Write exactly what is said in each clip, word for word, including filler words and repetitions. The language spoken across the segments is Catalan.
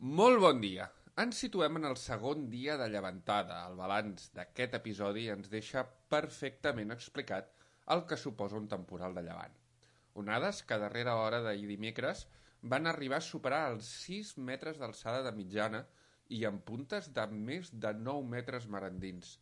Molt bon dia! Ens situem en el segon dia de llevantada. El balanç d'aquest episodi ens deixa perfectament explicat el que suposa un temporal de llevant. Onades que a darrera hora d'ahir dimecres van arribar a superar els sis metres d'alçada de mitjana i amb puntes de més de nou metres mar endins.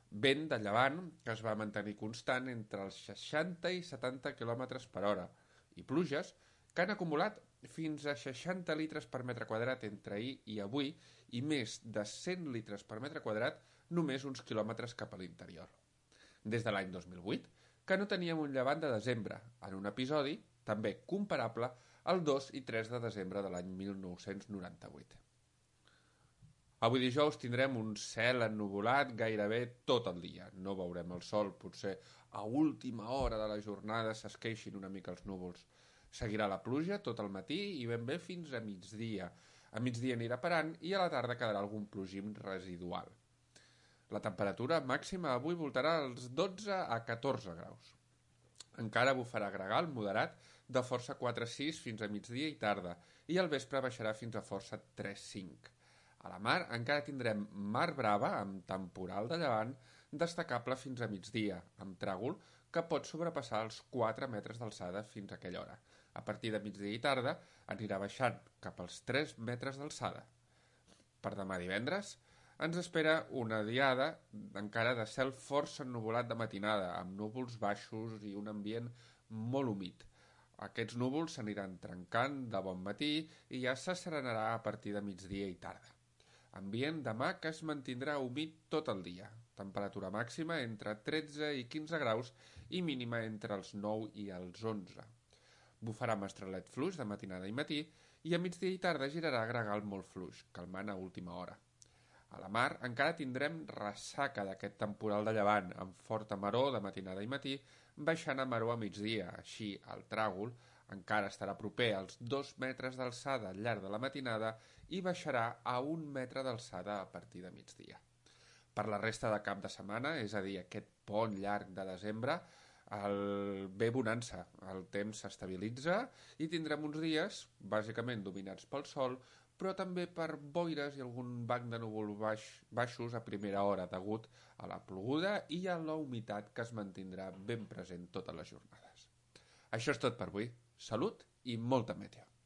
Vent de llevant que es va mantenir constant entre els seixanta i setanta quilòmetres per hora i pluges que han acumulat fins a seixanta litres per metre quadrat entre ahir i avui i més de cent litres per metre quadrat només uns quilòmetres cap a l'interior. Des de l'any dos mil vuit, que no teníem un llevant de desembre, en un episodi també comparable al dos i tres de desembre de l'any mil nou-cents noranta-vuit. Avui dijous tindrem un cel ennuvolat gairebé tot el dia. No veurem el sol, potser a última hora de la jornada s'esqueixin una mica els núvols. Seguirà la pluja tot el matí i ben bé fins a migdia. A migdia anirà parant i a la tarda quedarà algun plogim residual. La temperatura màxima avui voltarà als dotze a catorze graus. Encara bufarà gregal moderat de força quatre sis fins a migdia i tarda i al vespre baixarà fins a força tres cinc. A la mar encara tindrem mar brava amb temporal de llevant destacable fins a migdia, amb tràgol que pot sobrepassar els quatre metres d'alçada fins a aquella hora. A partir de migdia i tarda anirà baixant cap als tres metres d'alçada. Per demà divendres ens espera una diada encara de cel força ennuvolat de matinada, amb núvols baixos i un ambient molt humit. Aquests núvols s'aniran trencant de bon matí i ja s'asserenarà a partir de migdia i tarda. Ambient demà que es mantindrà humit tot el dia. Temperatura màxima entre tretze i quinze graus i mínima entre els nou i els onze. Bufarà mestralet fluix de matinada i matí i a migdia i tarda girarà gregal molt fluix, calmant a última hora. A la mar encara tindrem ressaca d'aquest temporal de llevant, amb forta maror de matinada i matí, baixant a maror a migdia. Així, el tràgol encara estarà proper als dos metres d'alçada al llarg de la matinada i baixarà a un metre d'alçada a partir de migdia. Per la resta de cap de setmana, és a dir, aquest pont llarg de desembre, el ve bonança, el temps s'estabilitza i tindrem uns dies bàsicament dominats pel sol, però també per boires i algun banc de núvol baix, baixos a primera hora degut a la ploguda i a la humitat que es mantindrà ben present totes les jornades. Això és tot per avui. Salut i molta meteo.